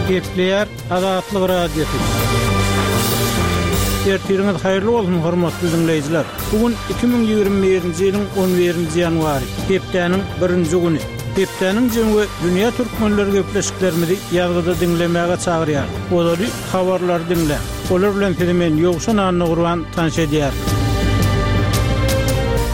Gepleýär Azatlyk Radiosy. Ertiriňiz haýyrly bolsun, hormatly diňleýjiler! Bu gün 2021-nji ýylyň 11-nji ýanwary, hepdäniň birinji güni. Hepdäniň jemi we dünýä türkmenleri gepleşiklerimizi ýazgyda diňlemäge çagyrýar. Ozaly habarlary diňläň. Olar bilen sizi men Ýowşan Annagurban tanyş edýärin.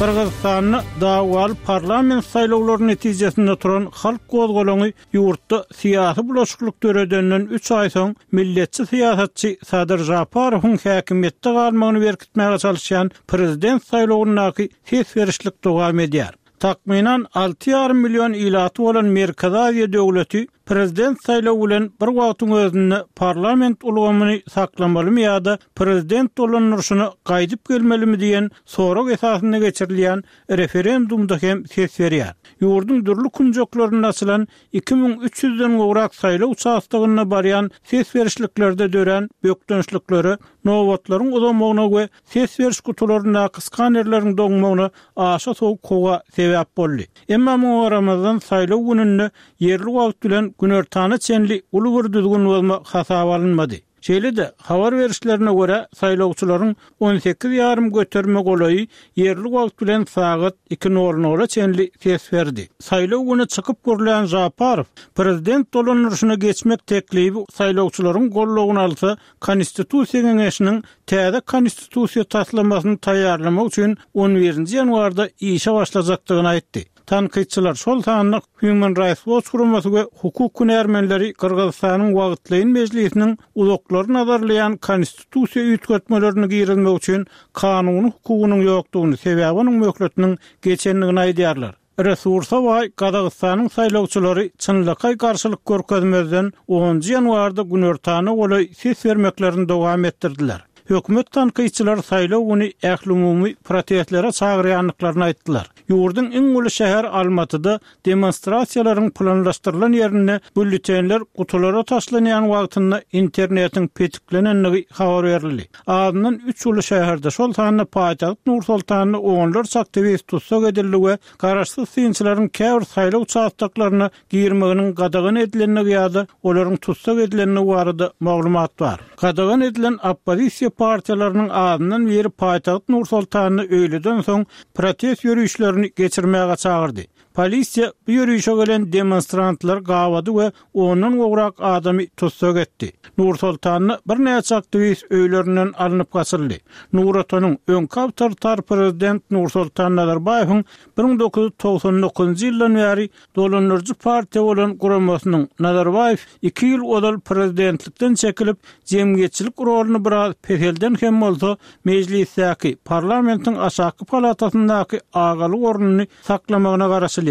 Gyrgyzystanda dawaly parlament saýlawlary netijesinde turan halk gozgalaňy ýurtda syýasy bulaşyklyk döredenden üç aý soň milletçi syýasatçy Sadyr Žaparowyň häkimiýetde galmagyny berkitmäge çalyşýan prezident saýlawyndaky ses berişlik dowam edýär. Takmynan 6,5 million ilaty bolan Merkezi Aziýa döwleti prezident saýlawy bilen bir wagtyň özünde parlament ulgamyny saklamalymy ýa-da prezident dolandyryşyna gaýdyp gelmelimi diýen sorag esasynda geçirilýän referendumda hem ses berýär. Ýurduň dürli künjeklerinde açylan 2300 den gowrak saýlaw uçastogynda barýan ses berişliklerde dörän bökdençliklere, nobatlaryň uzamagyna we ses beriş gutularyndaky skanerleriň doňmagyna aşa sowuk howa sebäp boldy. Emma muňa garamazdan saýlaw gününde ýerli wagt bilen günortana çenli uly bir düzgün bozma hasaba alynmady. Şeýle-de, habar berişlerine görä, saýlawçylaryň 18 ýarym göterime golaýy ýerli wagt bilen sagat iki nol nola çenli ses berdi. Saýlaw güni çykyp gürlän Žaparow, prezident dolandyryşyna geçmek teklibi saýlawçylaryň goldawyny alsa, Konstitusiýa geňeşiniň täze Konstitusiýa taslamasyny taýýarlamak üçin on birinji ýanwarda işe başlajakdygyny aýtdy. Tankytçylar, şol sanda Human Rights Watch guramasy we hukuk hünärmenleri Gyrgyzystanyň wagtlaýyn mejlisiniň uzaklary nazarlaýan konstitusiýa üýtgetmelerini girizmek üçin kanuny hukugynyň ýokdugyny, sebäbi onuň möhletiniň geçendigini aýdýarlar. Resursa baý Gazagystanyň saýlawçylary çynlakaý garşylyk görkezmezden onunjy ýanwarda günortana golaý ses bermeklerini dowam etdirdiler. Hökümet tankytçylary saýlaw güni ählumumy protestlere çagyrýandyklaryny aýtdylar. Ýurduň iň uly şäheri Almatyda demonstrasiýalaryň planlaşdyrylan ýerinde býulletenler gutulara taşlanýan wagtynda internetiň petiklenendigi habar berildi. Azyndan üç uly şäherde, şol sanda paýtagt Nur-Sultanda onlarça aktiwist tussag edildi we garaşsyz synçylaryň käbir saýlaw uçastoklaryna girmeginiň gadagan edilendigi ýa-da olaryň tussag edilendigi barada maglumat bar. Gadagan edilen oppozisiýa partiýalarynyň azyndan biri paýtagt Nur-Sultanda öýleden soň protest ýörişlerini geçirmäge çagyrdy. Polisiýa bu ýörişe gelen demonstrantlary gabady we ondan gowrak adamy tussag etdi. Nur-Sultanda birnäçe aktiwist öýlerinden alnyp gaçyldy. Nur Otanyň öňki awtoritar prezident Nursultan Nazarbaýewiň 1999-njy ýyldan bäri dolandyryjy partiýa bolan guramasynyň Nazarbaýew iki ýyl ozal prezidentlikden çekilip, jemgyýetçilik roluny biraz peselden hem bolsa, mejlisdäki, parlamentiň aşaky palatasyndaky agalyk ornuny saklamagyna garaşylýar.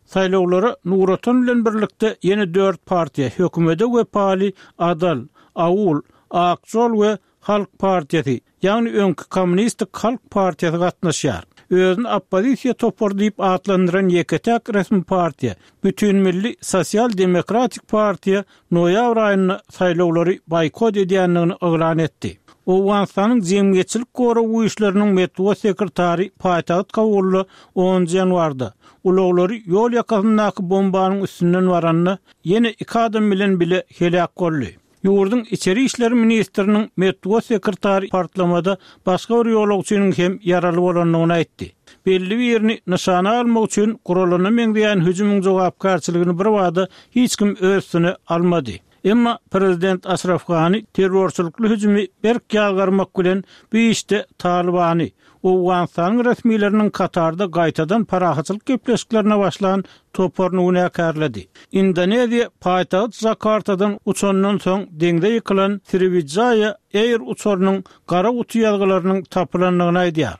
Saýlawlara Nur Otan bilen birlikde ýene dört partiýa, hökümede wepaly Adal, Aul, Ak Žol we Halk partiýasy, ýagny öňki Kommunistik halk partiýasy gatnaşýar. Özüni oppozisiýa topary diýip atlandyran ýeke-täk resmi partiýa, Bütinmilli sosial-demokratik partiýa noýabr aýynda saýlawlary boýkot edýändigini yglan etdi. Owganystanyň jemgyýetçilik gorag güýçleriniň metbugat sekretary paýtagt Kabulda onunjy ýanwarda, ulaglary ýol ýakasyndaky bombanyň üstünden baranda, ýene iki adam bilen bile heläk boldy. Ýurduň içeri işler ministriniň metbugat sekretary partlamada başga bir ýolagçynyň hem ýaraly bolandygyny aýtdy. Belli birini nyşana almak üçin guralana meňzeýän hüjümiň jogapkärçiligini birbada hiç kim öz üstüne almady. Emma prezident Aşraf Gani terrorçylykly hüjümi berk ýazgarmak bilen bu işde Talybany, Owganystanyň resmileriniň Katarda gaýtadan parahatçylyk gepleşiklerine başlan toparyny günäkärledi. Indoneziýa paýtagt Jakartadan uçandan soň deňze ýykylan Sriwijaya Air uçarynyň gara guty ýazgylarynyň tapylandygyny aýdýar.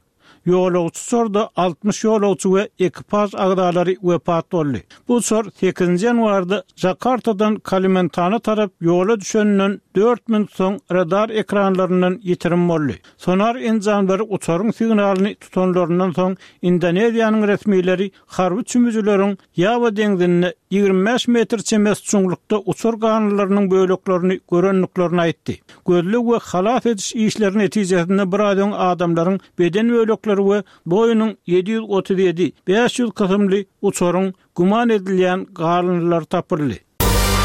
Ýolagçy uçarda 60 ýolagçy we ekipaž agzalary wepat boldy. Bu uçar sekizinji ýanwarda Jakartadan Kalimentana tarap ýola düşeninden dört minut soň radar ekranlaryndan ýitirim boldy. Sonar enjamlary uçaryň signalyny tutanlaryndan soň Indoneziýanyň resmileri harby çümüjileriň Ýawa deňzinde 25 metr çemesi çuňlukda uçar galyndylarynyň böleklerini görendiklerini aýtdy. Gözleg we halas ediş işleri netijesinde biraz öň adamlaryň beden bölekleri we Boeing-iň 737, 500 kysymly uçaryň güman edilýän galyndylary tapyldy.